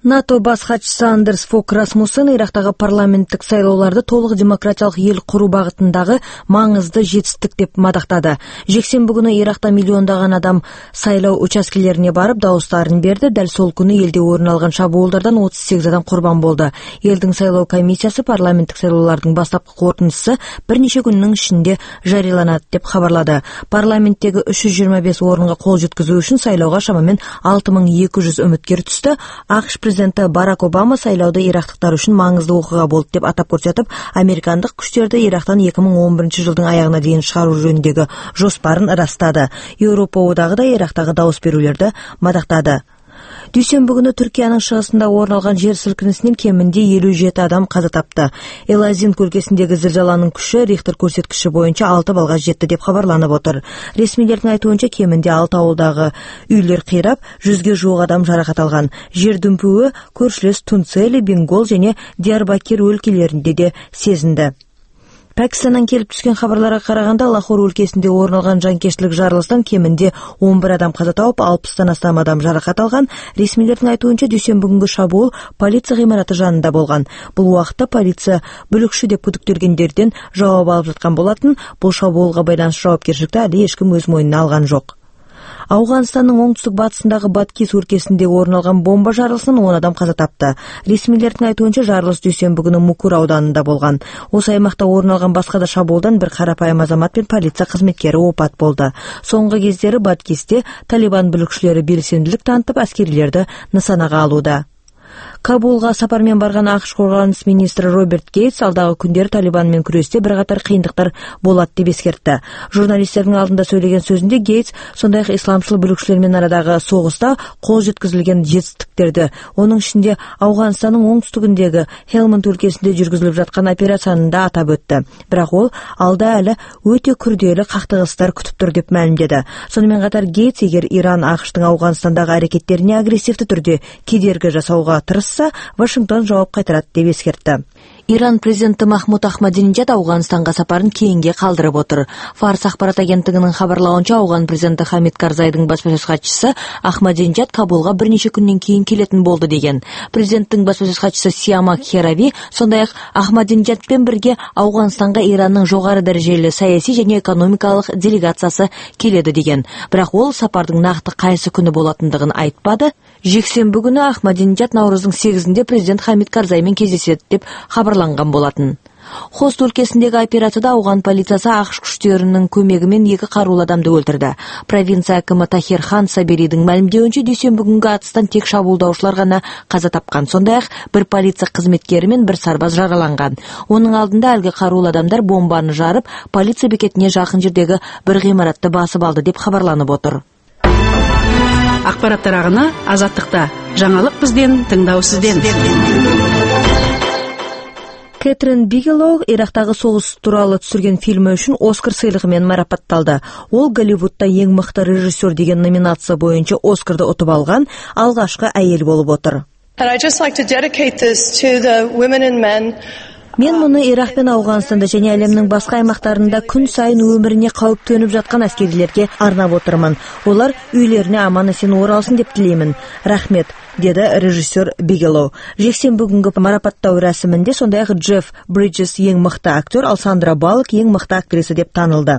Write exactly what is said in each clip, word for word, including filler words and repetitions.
НАТО бас катчысы Андерс Фок Расмуссен Ирактагы парламенттик сайлоолорду толук демократиялык эл куруу багытындагы маңызды жетиштик деп мадактады. Жексенби күнү Иракта миллиондогон адам сайлоо участкелерине барып дауыстарын берди. Дал сол күнү элде орун алган шабуулдардан отуз сегиз адам курбан болду. Элдин сайлоо комиссиясы парламенттик сайлоолордун бастапкы корутундусу бир нече күндүн ичинде жарыяланат деп кабарлады. Парламенттеги үч жүз жыйырма беш орунга кол жеткизүү үчүн сайлоого шамамен алты миң эки жүз үмүткер түстү. АКШ Президенти Барак Обама сайлоодо ирактыктар үчүн маңыздуу окуя болду деп атап көрсөтүп, американдык күчтөрдү Ирактан эки миң он биринчи жылдын аягына чейин чыгаруу жөнүндөгү жоспарын ырастады. Европа Одагы да Ирактагы дауыс берүүлөрдү мадактады. Дүйсенбі күнү Түркиянын чыгышында орун алган жер силкинисинен кеминде элүү жети адам каза тапты. Элазин өлкөсүндөгү зилжаланын күчү Рихтер көрсөткүчү боюнча алты балга жетти деп кабарланып отур. Ресмилердин айтуунча кеминде алты ауылдагы үйлөр кыйрап, жүзгө жуук адам жаракат алган. Жер дүмпүгү көршүлөс Тунцели, Бенгол жана Диярбакир өлкөлөрүндө да сезинди. Пакистандан келип түшкөн кабарларга караганда, Лахор өлкөсүндө орун алган жанкечтилик жарылыштан кеминде он бир адам каза тауып, алпыстан астам адам жаракат алган. Ресмилердин айтуунча дүйсенби күнгү шабуул полиция кыймараты жанында болгон. Бул убакытта полиция бүлүкчү деп күдүктөлгөндөрдөн жооп алып жаткан болатын. Бул шабуулга байланыштуу жоопкерчиликти али эч ким өз мойнуна алган жок. Афганстандын оңтүстүк батысындагы Баткис өлкөсүндө орун алган бомба жарылышынан он адам каза тапты. Ресмилердин айтуунча жарылыш дүйсенби күнү Мукур ауданында болгон. Осы аймакта орун алган башка да шабуулдан бир карапайым азамат пен полиция кызметкери опат болду. Соңку кездери Баткисте Талибан бүлүкчүлөрү белсендилик танытып, аскерилерди нысанага алууда. Кабулга сапар менен барган АКШ коргонус министри Роберт Гейтс алдагы күндөр Талибан менен күрөстө бир катар кыйындыктар болот деп эскертти. Журналисттердин алдында сөйлөгөн сөзүндө Гейтс сондай эле исламчыл бүлүкчүлөр менен арадагы согуста кол жеткизилген жетиштиктерди, онун ичинде Афганстандын оңтүстүгүндөгү Хелманд өлкөсүндө жүргүзүлүп жаткан операцияны да атап өттү. Бирок ол алда эле өтө күрдөөлүү кактыгыстар күтүп тур деп маалимдеди. Сону менен катар Гейтс эгер Иран АКШтын Афганстандагы аракеттерине агрессивдүү түрдө кедерги жасауга тырышса, Вашингтон жооп кайтарат деп эскертти. Иран президенти Махмуд Ахмадинежад Афганстанга сапарын кейинге калтырып отур. Фарс акбарат агенттигинин кабарлауынча, Афган президенти Хамид Карзайдын баспасөз катчысы Ахмадинежад Кабулга бир нече күндөн кийин келетин болду деген. Президенттин баспасөз катчысы Сиамак Херави сондай эле Ахмадинежад менен бирге Афганстанга Иранның жогору дарежелүү саясий жана экономикалык делегациясы келеди деген. Бирок ол сапардын накты кайсы күнү болотундугун айтпады. Жексенби күнү Ахмадинежад Навруздун сегизинде президент Хамид Карзай менен кездешет деп кабарланган болатын. Хост өлкөсүндөгү операцияда Афган полициясы АКШ күчтөрүнүн көмөгү менен эки каруулуу адамды өлтүрдү. Провинция акимы Тахир Хан Саберидин маалимдеуинче, дүйсенби күнгү атыстан тек шабуулдаушылар гана каза тапкан. Сондай эле бир полиция кызметкери менен бир сарбаз жараланган. Онун алдында алги каруулуу адамдар бомбаны жарып, полиция бекетине жакын жердеги бир гымаратты басып алды деп кабарланып отур. Акпараттар агына Азаттыкта. Жаңылык бизден, тыңдоо сизден. Кэтрин Бигелоу Ирактагы согуш тууралуу түзүлгөн фильми үчүн Оскар сыйлыгы менен марапатталды. Ол Голливудда эң мыкты режиссер деген номинация боюнча Оскарды утуп алган алгачкы айыл болуп отур. Мен муну Ирак пен Афганстанда жана әлемнин башка аймактарында күн сайын өмүрүнө кауп төнүп жаткан аскерлерге арнап отурман. Олар үйлөрүнө аман-эсен оралсын деп тилеймин. Рахмет, деди режиссер Бигелоу. Жексенби күнгү марапаттоо расминде сондай эле Джефф Бриджес эң мыкты актер, ал Сандра Баллок эң мыкты актриса деп таанылды.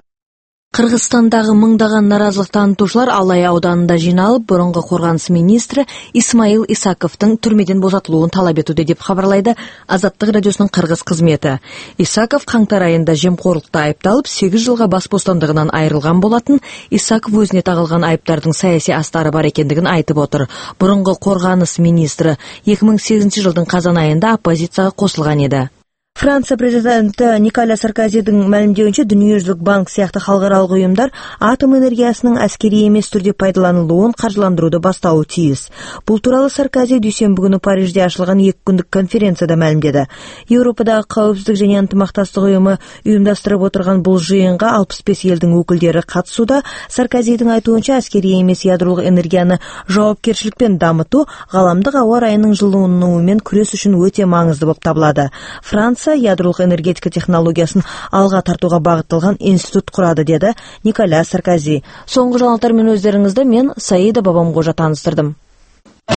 Кыргызстандагы мыңдаган наразылык таанытуучулар Алай ауданында жыйналып, мурунку коргонус министри Исмаил Исаковдун түрмөдөн босотулуун талап этүүдө деп кабарлайды Азаттык радиосунун кыргыз кызмети. Исаков каңтар айында жемкорлукта айыпталып, сегиз жылга бас бостандыгынан айрылган болатын. Исаков өзүнө тагылган айыптардын саясий астары бар экендигин айтып отур. Мурунку коргонус министри эки миң сегизинчи жылдын казан айында оппозицияга кошулган эди. Франция президенти Николя Саркозидин маалимдеуинче, Дүниежүзүлүк банк сыяктуу халыкаралык уюмдар атом энергиясынын аскерий эмес түрдө пайдаланылуун каржыландырууду баштауы тийиз. Бул тууралуу Саркози дүйсенби күнү Парижде ачылган эки күндүк конференцияда маалимдеди. Европадагы Коопсуздук жана ынтымактастык уюму уюмдаштырып отурган бул жыйынга алпыс беш элдин өкүлдөрү катышууда. Саркозидин айтуунча, аскерий эмес ядролук энергияны жоопкерчиликпен дамытуу галамдык аба ырайынын жылынуу менен күрөш үчүн өтө маңыздуу болуп табылады. Франция ядролук энергетика технологиясын алга тартууга багытталган институт курады, деди Николя Саркози. Соңку жаңылыктар менен өздөрүңүздө мен Саида Бабамгожа тааныштырдым.